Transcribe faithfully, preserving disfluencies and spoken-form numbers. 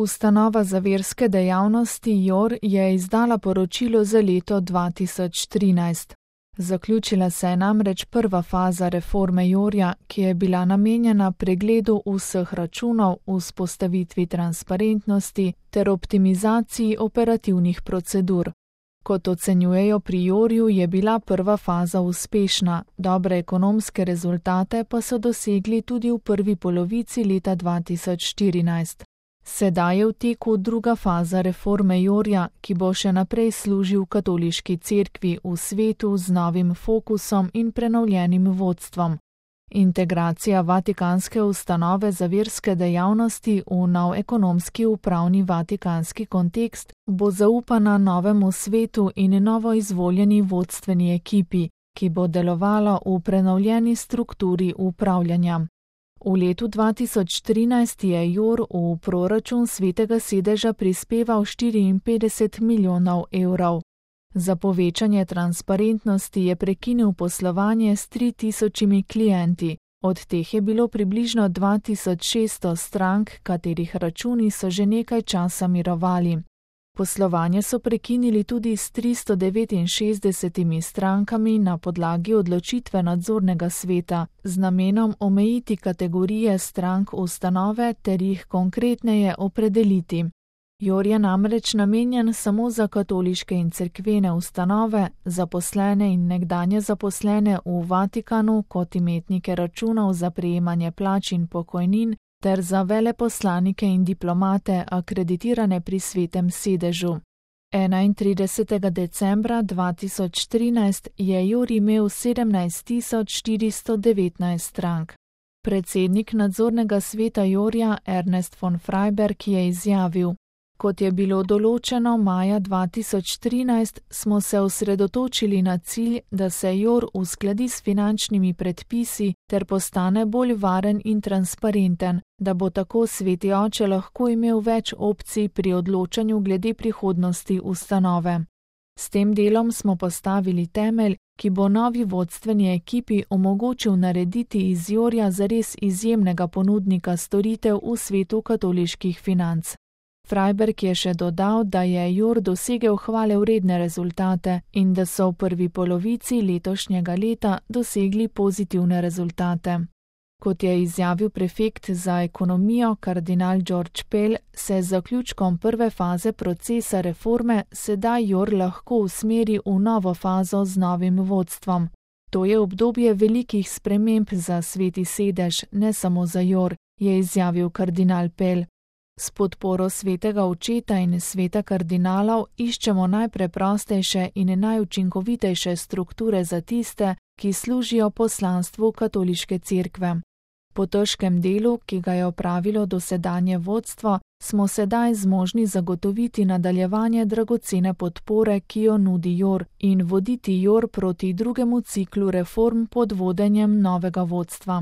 Ustanova za verske dejavnosti Jor je izdala poročilo za leto dva tisoč trinajst. Zaključila se je namreč prva faza reforme Jorja, ki je bila namenjena pregledu vseh računov, vzpostavitvi transparentnosti ter optimizaciji operativnih procedur. Kot ocenjujejo pri Jorju, je bila prva faza uspešna, dobre ekonomske rezultate pa so dosegli tudi v prvi polovici leta dva tisoč štirinajst. Sedaj je v teku druga faza reforme Jorja, ki bo še naprej služil katoliški cerkvi v svetu z novim fokusom in prenovljenim vodstvom. Integracija Vatikanske ustanove za verske dejavnosti v nov ekonomski upravni vatikanski kontekst bo zaupana novemu svetu in novo izvoljeni vodstveni ekipi, ki bo delovala v prenovljeni strukturi upravljanja. V letu dva tisoč trinajst je Jor v proračun Svetega sedeža prispeval štiriinpetdeset milijonov evrov. Za povečanje transparentnosti je prekinil poslovanje s tri tisočimi klienti, od teh je bilo približno dva tisoč šeststo strank, katerih računi so že nekaj časa mirovali. Poslovanje so prekinili tudi s tristo devetinšestdesetimi strankami na podlagi odločitve nadzornega sveta z namenom omejiti kategorije strank ustanove ter jih konkretneje opredeliti. Jor je namreč namenjen samo za katoliške in cerkvene ustanove, zaposlene in nekdanje zaposlene v Vatikanu kot imetnike računov za prejemanje plač in pokojnin, ter za veleposlanike in diplomate akreditirane pri Svetem sedežu. enaintridesetega decembra dva tisoč trinajst je Jor imel sedemnajst tisoč štiristo devetnajst strank. Predsednik nadzornega sveta Jorja Ernest von Freiberg je izjavil: Kot je bilo določeno maja dva tisoč trinajst, smo se osredotočili na cilj, da se Jor uskladi s finančnimi predpisi ter postane bolj varen in transparenten, da bo tako Sveti Oče lahko imel več opcij pri odločanju glede prihodnosti ustanove. S tem delom smo postavili temelj, ki bo novi vodstveni ekipi omogočil narediti iz Jorja zares izjemnega ponudnika storitev v svetu katoliških financ. Freiberg je še dodal, da je Jor dosegel hvalevredne rezultate in da so v prvi polovici letošnjega leta dosegli pozitivne rezultate. Kot je izjavil prefekt za ekonomijo kardinal George Pell, se z zaključkom prve faze procesa reforme sedaj Jor lahko usmeri v novo fazo z novim vodstvom. To je obdobje velikih sprememb za Sveti sedež, ne samo za Jor, je izjavil kardinal Pell. S podporo Svetega očeta in sveta kardinalov iščemo najpreprostejše in najučinkovitejše strukture za tiste, ki služijo poslanstvu katoliške cerkve. Po težkem delu, ki ga je opravilo dosedanje vodstvo, smo sedaj zmožni zagotoviti nadaljevanje dragocene podpore, ki jo nudi Jor, in voditi Jor proti drugemu ciklu reform pod vodenjem novega vodstva.